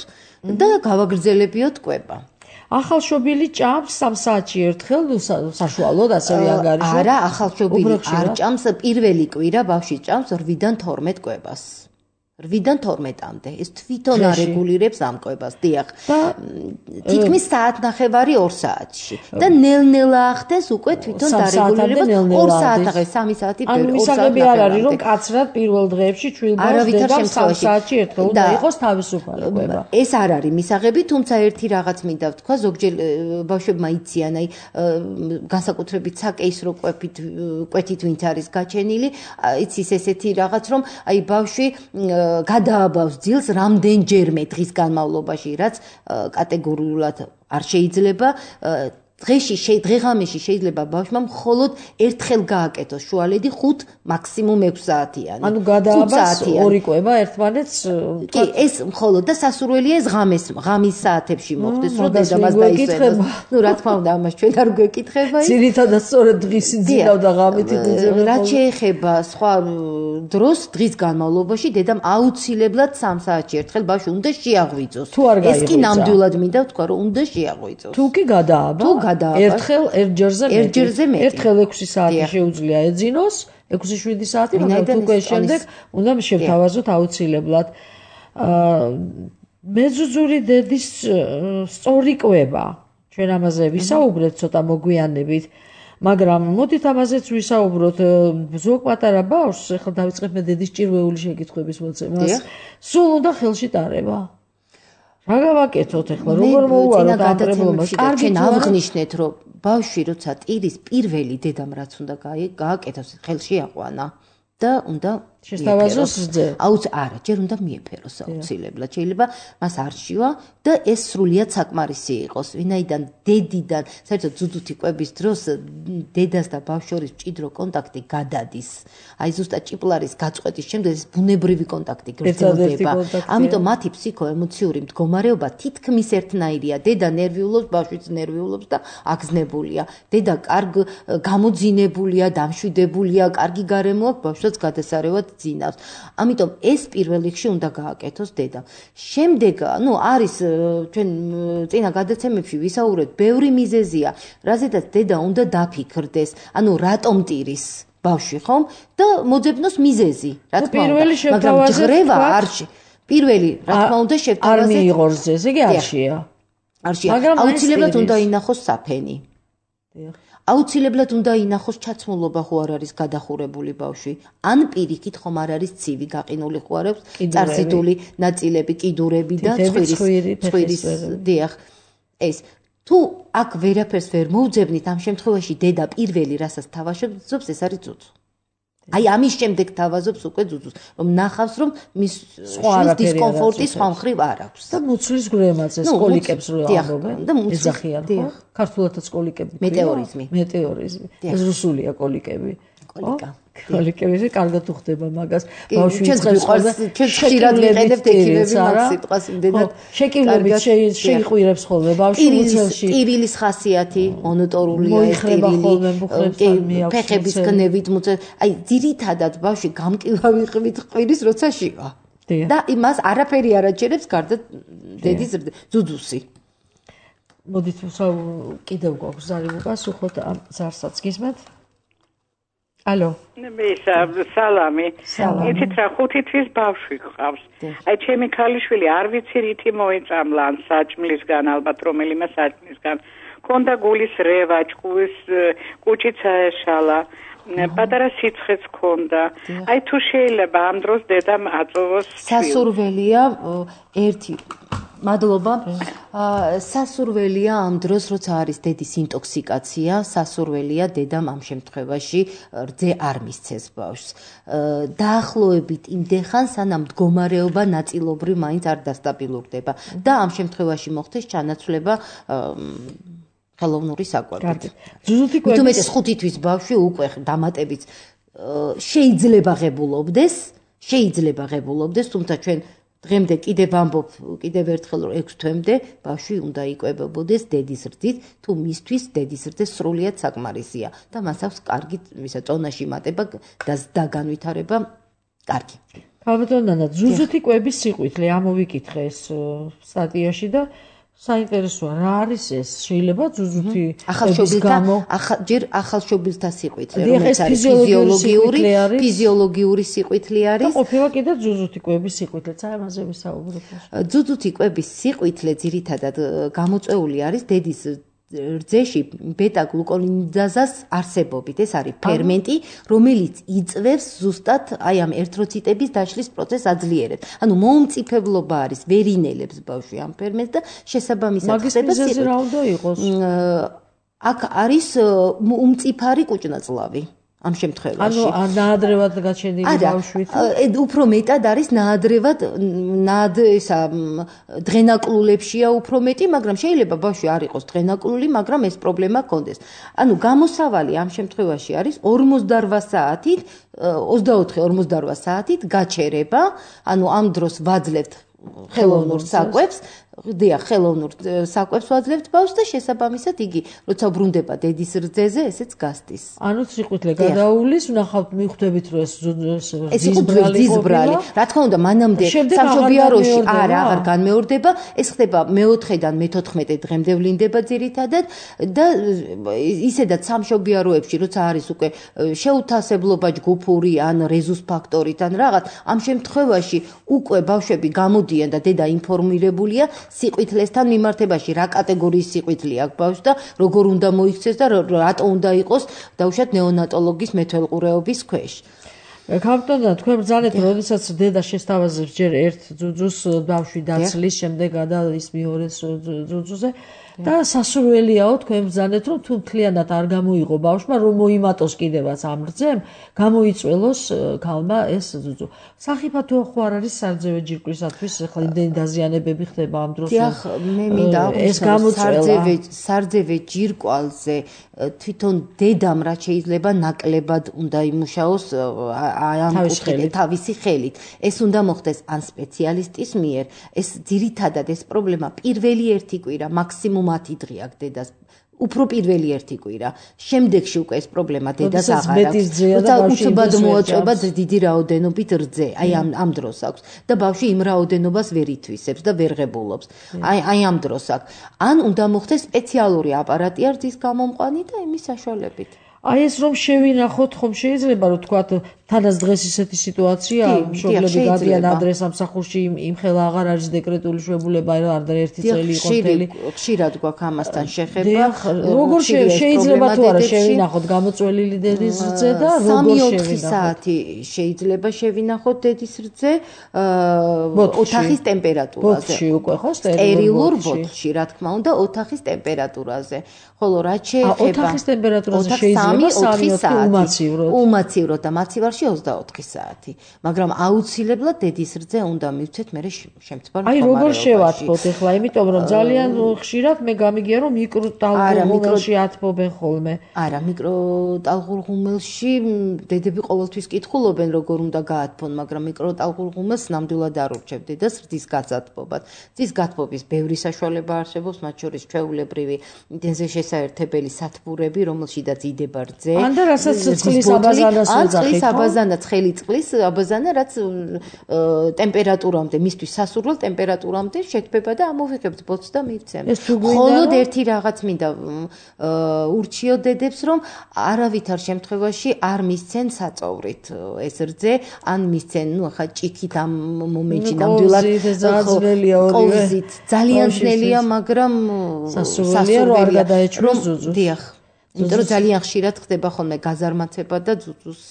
და გავაგრძელებიოთ კვება. ახალშობილი ჭამს 3 საათში ერთხელ, საშუალოდ ასევე ანგარიშო. არა, ახალშობილი არ ჭამს, პირველი კვირა ბავშვი ჭამს 8-დან 12 კვებას. 8-დან 12-მდე. ეს თვითონ არეგულირებს ამ კვებას, დიახ. თითქმის საათნახევარი 2 საათში. და ნელ-ნელა ახდენს უკვე თვითონ დარეგულირება 2 საათაღე, 3 საათი ანუ მისაღები არ არის, რომ კაცრად პირველ დღეებში ჩვილბავშვს დედამ 3 საათში ერთხელ უნდა იყოს თავისუფალი კვება. ეს არ არის მისაღები, თუმცა ერთი რაღაც მინდა ვთქვა, ზოგჯერ ბავშვებმა იციან, აი განსაკუთრებით საკეისრო კვეთით ვინც არის გაჩენილი, იცის ესეთი რაღაც, რომ აი ბავშვი გადააბავს ძილს რამდენჯერმე დღის განმავლობაში, რაც კატეგორიულად არ შეიძლება. დღეღამეში შეიძლება ბავშვმა მხოლოდ ერთხელ გააკეთოს შუალედი 5 მაქსიმუმ 6 საათიანი. ანუ გადააბავს 2 კვება ერთმანეთს. კი, ეს მხოლოდ და სასურველია ეს ღამის საათებში მოხდეს, რომ დედამას დაისვენოს. ნუ რა თქმა უნდა, ამას ჩვენ არ გვეკითხება. ძირითადად სწორედ დღის ძილავ და ღამით იძება. რაც შეეხება სხვა დროს დღის განმავლობაში დედამ აუცილებლად 3 საათში ერთხელ ბავშვი უნდა შეაღვიძოს. ეს კი ნამდვილად მინდა ვთქვა, რომ უნდა შეაღვიძოს. თუ კი გადააბა ერთხელ ერთჯერზე მეტი. ერთხელ 6 საათი შეუძლია ეძინოს, 6-7 საათი, მაგრამ უკვე შემდეგ უნდა შევთავაზოთ აუცილებლად. მეძუძური დედის სწორი კვება. ჩვენ ამაზე ვისაუბრეთ ცოტა მოგვიანებით, მაგრამ მოდით ამაზეც ვისაუბროთ. ზოგ პატარა ბავშვს, ახლა დავიწყებ მე დედის ჭირვეული შეკითხვების მოცემას. სულ უნდა ხელში ტარება. რა გავაკეთოთ ახლა, როგორ მოუვაროთ ამ პრობლემას? კარგი ავღნიშნეთ, რომ ბავშვი როცა ტირის პირველი დედამ რაც უნდა გააკეთოს, ხელში აყვანა და უნდა შეესთავაზოს რძე. არა, ჯერ უნდა მიეფეროს აუცილებლად. შეიძლება მას არ შევა და ეს სრულიად საკმარისი იყოს. ვინაიდან დედიდან, საერთოდ ძუძუთი კვების დროს დედას და ბავშვს შორის მჭიდრო კონტაქტი გადადის. აი ზუსტად ჭიპლარის გაწყვეტის შემდეგ ეს ბუნებრივი კონტაქტი გრძელდება. ამიტომ მათი ფსიქოემოციური მდგომარეობა თითქმის ერთნაირია. დედა ნერვიულობს, ბავშვიც ნერვიულობს და აგზნებულია. დედა კარგ გამოძინებულია, დამშვიდებულია, კარგი გარემო აქვს, ბავშვსაც გადასარევად ძინავს. ამიტომ ეს პირველ რიგში უნდა გააკეთოს დედამ. შემდეგ, არის ჩვენ წინა გადაცემებში ვისაუბრეთ, ბევრი მიზეზია, რაზედაც დედა უნდა დაფიქრდეს, რატომ ტირის ბავშვი, ხომ? და მოძებნოს მიზეზი, რა თქმა უნდა. მაგრამ ჯღრევა არში. პირველი, რა თქმა უნდა, შევთავაზეთ. არ მიიღოს რძე, ესე იგი არშია. აუცილებლად უნდა ინახოს საფენი. აუცილებლად უნდა ინახოს ჩაცმულობა ხო არ არის გადახურებული ბავშვი. ან პირიქით ხომ არ არის ცივი გაყინული ხო არ აქვს წარსიდული ნაწილები, კიდურები და ცხვირის დიახ. ეს თუ აქ ვერაფერს ვერ მოუძებნით, ამ შემთხვევაში დედა პირველი რასაც თავაზობს, ეს არის ძუძუ. აი ამის შემდეგ თავაზობს უკვე ძუძუს, რომ ნახავს, რომ მის დისკომფორტი სხვა მხრივ არ აქვს. და მუცლის გრემაც ეს კოლიკებს რო ამბობენ. ეძახიან ხო? ქართულადაც კოლიკები. მეტეორიზმი. ეს რუსულია კოლიკები. კოლიკები კარგად უხდება მაგას. ბავშვი იწყებს ჩვენ ხშირად ვიყენებთ ექიმები მაგ სიტყვას იმდენად შეკივლებით შეიყვირებს ხოლმე ბავშვი მუცელში. ტირილის ხასიათი მონოტორულია ეს ტირილი. ფეხების გნევით მუცელ. აი ძირითადად ბავშვი გამკილავი ყვით ყვირის როცა შივა. და იმას არაფერი არ აჩერებს გარდა დედის ძუძუსი. მოდით კიდევ გვაქვს ზარი უპასუხოთ ამ ზარსაც გისმენთ? ალო. სალამი. იცით რა 5 თვის ბავშვი გყავს. აი ჩემი ქალიშვილი არ ვიცი რითი მოიწამლა ან საჭმლისგან ალბათ რომელიმე საჭმლისგან. ქონდა გულის რევა, კუჭიც აეშალა. პატარა სიცხეც ქონდა. აი თუ შეიძლება ამ დროს დედამ აწოვოს სასურველია ერთი მადლობა. სასურველია ამ დროს, როცა არის დედის ინტოქსიკაცია, სასურველია დედამ ამ შემთხვევაში რძე არ მისცეს ბავშვს. დაახლოებით იმდენ სანამ მდგომარეობა ნაწილობრივ მაინც არ დასტაბილურდება და ამ შემთხვევაში მოხდეს ჩანაცვლება ხელოვნური საკვებით. ძუძუთი კვების უმეტეს 5 თვის ბავშვი უკვე დამატებით შეიძლება ღებულობდეს, თუმცა ჩვენ დღემდე კიდევ ვამბობ, კიდევ ერთხელ 6 თვემდე ბავშვი უნდა იკვებებოდეს დედის რძით, თუ მისთვის დედის რძე სრულიად საკმარისია და მას აქვს კარგი ისა წონაში მატება და განვითარება კარგი. ალბათ ნანა, ზუზუთი კვების სიყვითლე ამოვიკითხე ეს სტატიაში და საინტერესოა, რა არის ეს? შეიძლება ზუზუთი ჯერ ახალშობილთა სიყვითლე, რომელიც არის ფიზიოლოგიური სიყვითლე არის. და ყოფილა კიდე ზუზუთი კვების სიყვითლეც, ამაზე ვისაუბრებ. ზუზუთი კვების სიყვითლე ძირითადად გამოწვეული არის დედის რძეში ბეტა-გლუკონიდაზას არსებობით. ეს არის ფერმენტი, რომელიც იწვევს ზუსტად აი ამ ერთროციტების დაშლის პროცესს აძლიერებს. ანუ მომწიფებლობა არის, ვერინელებს ბავშვი ამ ფერმენტს და შესაბამისად ხდება სიყვითლე. რა უნდა იყოს? აქ არის უმწიფარი კუჭნაწლავი. ამ შემთხვევაში. ანუ ნაადრევად გაჩენილი ბავშვით. უფრო მეტად არის ნაადრევად ისა დღენაკლულებშია უფრო მეტი, მაგრამ შეიძლება ბავშვი არ იყოს დღენაკლული, მაგრამ ეს პრობლემა ჰქონდეს. ანუ გამოსავალი ამ შემთხვევაში არის 48 საათით, 24-48 საათით გაჩერება, ანუ ამ დროს ვაძლევთ ხელოვნურ საკვებს, ხელოვნურ საკვებს ვაძლევთ ბავშვს და შესაბამისად იგი როცა ბრუნდება დედის რძეზე, ესეც გასტის. ანუ სიყვითლე გადაუვლის, ვნახავთ მიხვდებით რომ ეს ძიზბრალი. რა თქმა უნდა, მანამდე სამშობიაროში აღარ განმეორდება, ეს ხდება მე-4-დან მე-14 დღემდე ვლინდება ძირითადად და ისედაც სამშობიაროებში, როცა არის უკვე შეუთასებლობა ჯგუფური ან რეზუს ფაქტორით ან რაღაც, ამ შემთხვევაში უკვე ბავშვები გამოდიან და დედა ინფორმირებულია სიყვითლესთან მიმართებაში, რა კატეგორიის სიყვითლე აქვს ბავშვს და როგორ უნდა მოიქცეს და რატო უნდა იყოს დაუშვათ ნეონატოლოგის მეთვალყურეობის ქვეშ. კაპიტანა, თქვენ ბრძანეთ, როდესაც დედა შესთავაზებს ჯერ ერთ ძუძუს ბავშვი დაცლის, შემდეგ გადადის მეორე ძუძუზე და სასურველიაო თქვენ ბრძანეთ, რომ თუ მთლიანად არ გამოიღო ბავშვმა, რომ მოიმატოს კიდევაც ამ რძემ, გამოიწველოს ქალმა ეს ძუძუ. სახიფათო ხო არ არის სარძევე ჯირკვლისათვის, ახლა იმდენი დაზიანებები ხდება ამ დროს. დიახ, მე მინდა სარძევე ჯირკვალზე თვითონ დედამ რაც შეიძლება ნაკლებად უნდა იმუშაოს თავისი ხელით. ეს უნდა მოხდეს ან სპეციალისტის მიერ. ეს ძირითადად ეს პრობლემა პირველი ერთი კვირა, მაქსიმუმ 10 დღე აქვს დედას. უფრო პირველი ერთი კვირა. შემდეგში უკვე ეს პრობლემა დედას აღარ აქვს. როცა უცბად მოაწვება დიდი რაოდენობით რძე, აი ამ დროს აქვს და ბავშვი იმ რაოდენობას ვერ ითვისებს და ვერ ღებულობს. აი ამ დროს აქვს. ან უნდა მოხდეს სპეციალური აპარატი რძის გამომყვანი და იმის საშუალებით. აი ეს რომ შევინახოთ, ხომ შეიძლება რომ თქვათ თანაც დღეს ისეთი სიტუაცია, მშობლები გადიან ადრე სამსახურში, იმ ხელა აღარ არის დეკრეტული შვებულება, არ ერთი წელი იყო მთელი. ხშირად გვაქვს ამასთან შეხება. როგორ შეიძლება თუ არა შევინახოთ გამოწველილი დედის რძე და როგორ შევინახოთ? 3-4 საათი შეიძლება შევინახოთ დედის რძე ოთახის ტემპერატურაზე. ბოთში უკვე ხო სტერილურ ბოთში, რა თქმა უნდა, ოთახის ტემპერატურაზე. ხოლო რაც შეეხება ოთახის ტემპერატურაზე შეიძლება 3-4 საათი უმაცივროდ და მაცივარში 24 საათი, მაგრამ აუცილებლად დედის რძე უნდა მივცეთ მე შემთხვევაში. აი როგორ შევათბოთ ახლა, იმიტომ რომ ძალიან ხშირად მე გამიგია რომ მიკროტალღურ ათბობენ ხოლმე. არა, მიკროტალღურ ღუმელში დედები ყოველთვის კითხულობენ როგორ უნდა გაათბონ, მაგრამ მიკროტალღურ ღუმელს ნამდვილად არ ურჩევ დედას რძის გაწათბობად. რძის გათბობის ბევრი საშუალება არსებობს, მათ შორის ჩვეულებრივი დენზე შესაერთებელი სათბურები, რომელშიდაც იდება რძე. ან და რასაც წყლის აბაზანას ვეძახით. აბაზანა ცხელი წყლის აბაზანა, რაც ტემპერატურამდე, მისთვის სასურველ ტემპერატურამდე შექმება და ამოვიღებთ ბოთს და მივცემთ. მხოლოდ ერთი რაღაც მინდა ურჩიო დედებს, რომ არავითარ შემთხვევაში არ მისცენ საწოვრით ეს რძე, ან მისცენ, ახლა ჭიქით ამ მომენტში ნამდვილად ყოვზით. ძალიან ძნელია, მაგრამ სასურველია რომ არ გადაეჭროს ძუძუს. დიახ. იმიტომ რომ ძალიან ხშირად ხდება ხოლმე გაზარმაცება და ძუძუს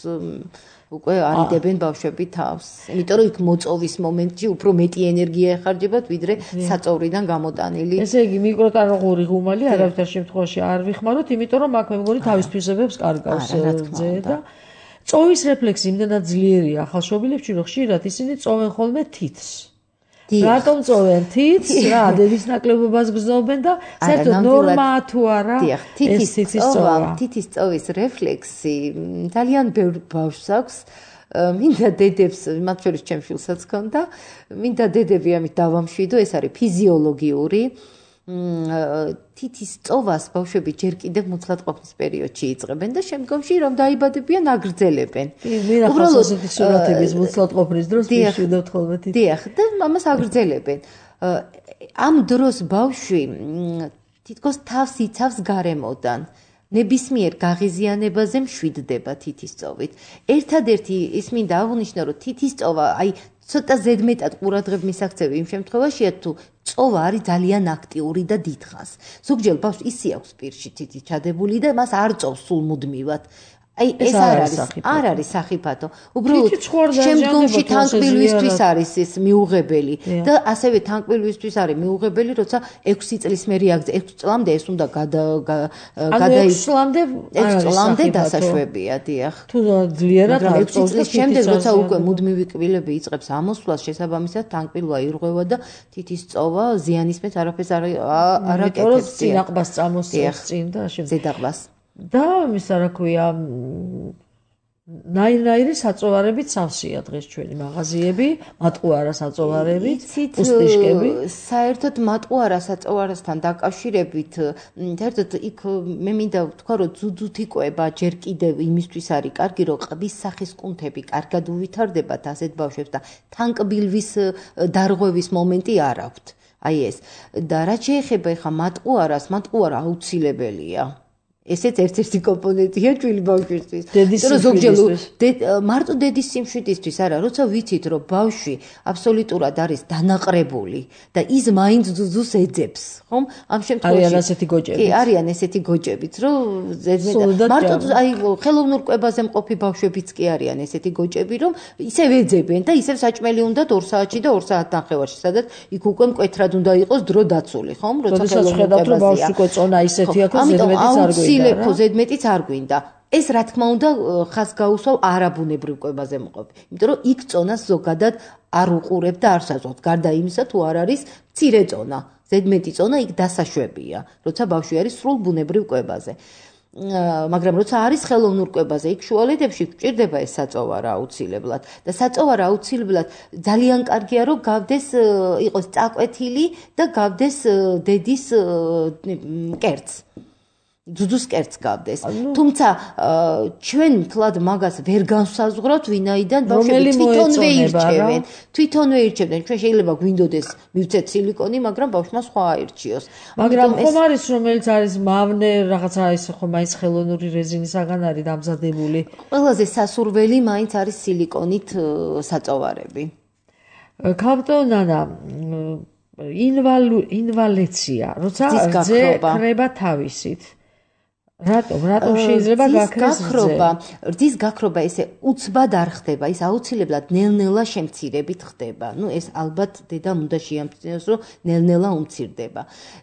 უკვე არიდებენ ბავშვები თავს. იმიტომ რომ იქ მოწოვის მომენტში უფრო მეტი ენერგია ეხარჯებათ, ვიდრე საწოვრიდან გამოტანილი. ესე იგი მიკროტალღური ღუმალი არავითარ შემთხვევაში არ ვიხმაროთ, იმიტომ რომ აქ მე მგონი თავის თვისებებს კარგავს რძე და წოვის რეფლექსი იმდენად ძლიერია ახალშობილებში, რომ ხშირად ისინი წოვენ ხოლმე თითს. რატომ წოვენ თითს? რა, დედის ნაკლებობას გრძნობენ და საერთოდ ნორმაა თუ არა ეს თითის წოვა? თითის წოვის რეფლექსი ძალიან ბევრ ბავშვს აქვს. მინდა დედებს, მათ შორის ჩემს შვილსაც ჰქონდა, მინდა დედები ამით დავამშვიდო, ეს არის ფიზიოლოგიური თითის წოვას ბავშვები ჯერ კიდევ მუცლად ყოფნის პერიოდში იწყებენ და შემდგომში რომ დაიბადებიან აგრძელებენ. უბრალოდ ასეთი სურათების მუცლად ყოფნის დროს მშვიდობთ ხოლმე თითი. დიახ, და ამას აგრძელებენ. ამ დროს ბავშვი თითქოს თავს იცავს გარემოდან. ნებისმიერ გაღიზიანებაზე მშვიდდება თითის წოვით. ერთადერთი ის მინდა აღვნიშნო, რომ თითის წოვა, აი ცოტა ზედმეტად ყურადღებ მისაქცევი იმ შემთხვევაშია, თუ წოვა არის ძალიან აქტიური და დიდხანს. ზოგჯერ ბავშვს ისი აქვს პირში თითი ჩადებული და მას არ წოვს სულ მუდმივად. აი ეს არ არის სახიფათო. უბრალოდ შემდგომში თანკბილვისთვის არის ეს მიუღებელი და ასევე თანკბილვისთვის არის მიუღებელი, როცა 6 წლის მერე აგზე 6 წლამდე ეს უნდა გადაიქცლამდე დასაშვებია, დიახ. თუ ძლიერად 6 წლის შემდეგ როცა უკვე მუდმივი კბილები იწყებს ამოსვლას, შესაბამისად თანკბილვა ირღვევა და თითის წოვა ზიანისმეთ არაფერს არ აკეთებს. წინაყბას წამოსწევს წინ და ზედაყბას. და მისა რა ქვია ნაირ-ნაირი საწოვარებით სავსეა დღეს ჩვენი მაღაზიები, მატყუარა საწოვარებით, პუსტიშკები. საერთოდ მატყუარა საწოვარასთან დაკავშირებით, საერთოდ იქ მე მინდა ვთქვა, რომ ძუძუთი კვება ჯერ კიდევ იმისთვის არის კარგი, რომ ყბის სახის კუნთები კარგად უვითარდებათ ასეთ ბავშვებს და თანკბილვის დარღვევის მომენტი არ აქვთ. აი ეს. და რაც შეეხება ხა მატყუარას, მატყუარა აუცილებელია. ესეც ერთ-ერთი კომპონენტია ჩვილი ბავშვისთვის. ზოგჯერ მარტო დედის სიმშვიდისთვის არა, როცა ვიცით, რომ ბავშვი აბსოლუტურად არის დანაყრებული და ის მაინც ძუძუს ეძებს, ხომ? ამ შემთხვევაში არიან ასეთი გოჭები. კი, არიან ესეთი გოჭებიც, რომ მარტო აი ხელოვნურ კვებაზე მყოფი ბავშვებიც კი არიან ესეთი გოჭები, რომ ისევ ეძებენ და ისევ საჭმელი უნდათ 2 საათში და 2 საათნახევარში, სადაც იქ უკვე მკვეთრად უნდა იყოს დრო დაცული, ხომ? როცა ხელოვნურ კვებაზეა. ბავშვი უკვე წონა ისეთი აქვს, ზედმეტიც არ გვინდა. ზედმეტიც არ გვინდა. ეს რა თქმა უნდა ხას გაუსვავ არაბუნებრივ კვებაზე მყოფი. იმიტომ რომ იქ წონას ზოგადად არ უყურებ და არ საზღვავთ. გარდა იმისა, თუ არ არის მცირე წონა. ზედმეტი წონა იქ დასაშვებია, როცა ბავშვი არის სრულ ბუნებრივ კვებაზე. მაგრამ როცა არის ხელოვნურ კვებაზე, იქ შუალედებში გვჭირდება ეს საწოვარა აუცილებლად. და საწოვარა აუცილებლად ძალიან კარგია, რომ გავდეს იყოს წაკვეთილი და გავდეს დედის კერძს. ძუძუს კერძს გავდეს. თუმცა ჩვენ თლად მაგას ვერ განსაზღვრავთ, ვინაიდან ბავშვები თვითონვე ირჩევენ. თვითონვე ირჩევენ. ჩვენ შეიძლება გვინდოდეს მივცეთ სილიკონი, მაგრამ ბავშვმა სხვა აირჩიოს. მაგრამ ხომ არის რომელიც არის მავნე რაღაცა ის ხომ მაინც ხელოვნური რეზინისაგან არის დამზადებული. ყველაზე სასურველი მაინც არის სილიკონით საწოვარები. ქავტონანა ინვალეცია, როცა რძე ქრება თავისით. რატომ შეიძლება გაქრეს გაქრობა? რძის გაქრობა ესე უცბად არ ხდება, ის აუცილებლად ნელ-ნელა შემცირებით ხდება. ნუ ეს ალბათ დედამ უნდა შეამჩნიოს, რომ ნელ-ნელა უმცირდება.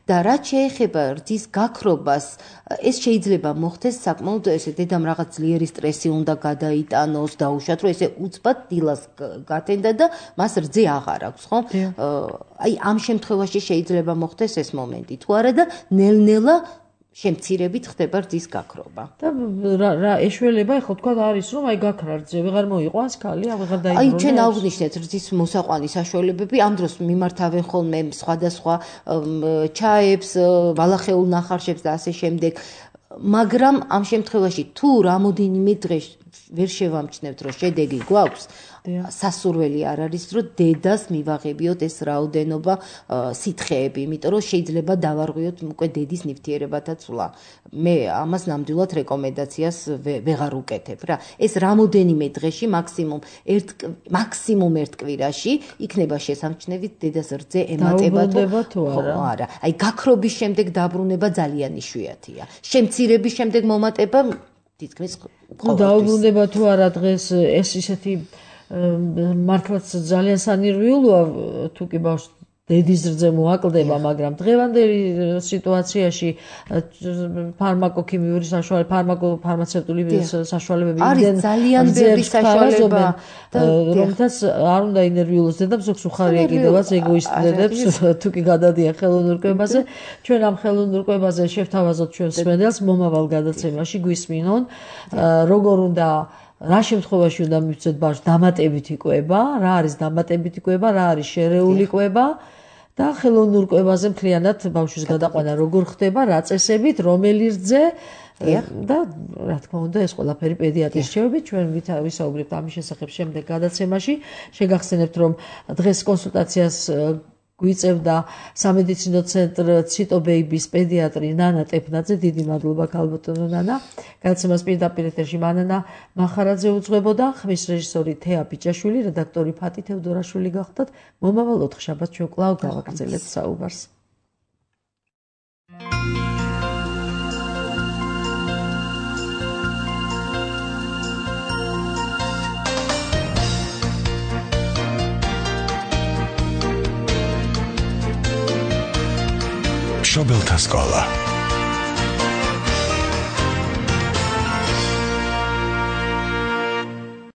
და რაც შეეხება რძის გაქრობას, ეს შეიძლება მოხდეს საკმაოდ ესე დედამ რაღაც ძლიერი სტრესი უნდა გადაიტანოს, დაუშვათ, რომ ესე უცბად დილას გათენდა და მას რძე აღარ აქვს, ხო? აი ამ შემთხვევაში შეიძლება მოხდეს ეს მომენტი. თუ არა და ნელ-ნელა შემცირებით ხდება რძის გაქრობა. და რა ეშველება ხო თქვა არის რომ აი გაქრა რძე ვეღარ მოიყვანს ქალი, ვეღარ დაიბრუნოს. აი ჩვენ აღვნიშნეთ რძის მოსაყვანის საშუალებები, ამ დროს მიმართავენ ხოლმე სხვადასხვა ჩაებს, ბალახეულ ნახარშებს და ასე შემდეგ. მაგრამ ამ შემთხვევაში თუ რამოდენიმე დღე ვერ შევამჩნევთ, რომ შედეგი გვაქვს, სასურველი არ არის, რომ დედას მივაღებიოთ ეს რაოდენობა სითხეები, იმიტომ რომ შეიძლება დავარღვიოთ უკვე დედის ნივთიერებათა ცვლა. მე ამას ნამდვილად რეკომენდაციას ვეღარ უკეთებ რა. ეს რამოდენიმე დღეში მაქსიმუმ ერთ კვირაში იქნება შესამჩნევი დედას რძე ემატება თუ არა. აი გაქრობის შემდეგ დაბრუნება ძალიან იშვიათია. შემცირების შემდეგ მომატება თითქმის ყოველთვის. დაუბრუნდება თუ არა დღეს ეს ისეთი მართლაც ძალიან სანერვიულოა თუ კი ბავშვს დედის რძე მოაკლდება, მაგრამ დღევანდელი სიტუაციაში ფარმაკოქიმიური ფარმაცევტული საშუალებები არის ძალიან ბევრი საშუალება, რომელთაც არ უნდა ინერვიულოს დედამ, ზოგს უხარია კიდევაც ეგოისტი დედებს, თუ კი გადადიან ხელოვნურ კვებაზე. ჩვენ ამ ხელოვნურ კვებაზე შევთავაზოთ ჩვენს მსმენელს მომავალ გადაცემაში, გვისმინონ, როგორ უნდა რა შემთხვევაში უნდა მივცეთ ბავშვს დამატებითი კვება, რა არის დამატებითი კვება, რა არის შერეული კვება და ხელოვნურ კვებაზე მთლიანად ბავშვის გადაყვანა როგორ ხდება, რა წესებით, რომელი რძე და რა თქმა უნდა ეს ყველაფერი პედიატრის რჩევებით ჩვენ ვისაუბრებთ ამის შესახებ შემდეგ გადაცემაში. შეგახსენებთ რომ დღეს კონსულტაციას გვიწევდა სამედიცინო ცენტრ ციტო ბეიბის პედიატრი ნანა ტეფნაძე. დიდი მადლობა ქალბატონო ნანა. გადაცემას პირდაპირ ეთერში მანანა მახარაძე უძღვებოდა, ხმის რეჟისორი თეა ბიჭაშვილი, რედაქტორი ფატი თევდორაშვილი გახდათ. მომავალ 4 შაბათს ჩვენ კვლავ გავაგრძელებთ საუბარს. შობელთა სკოლა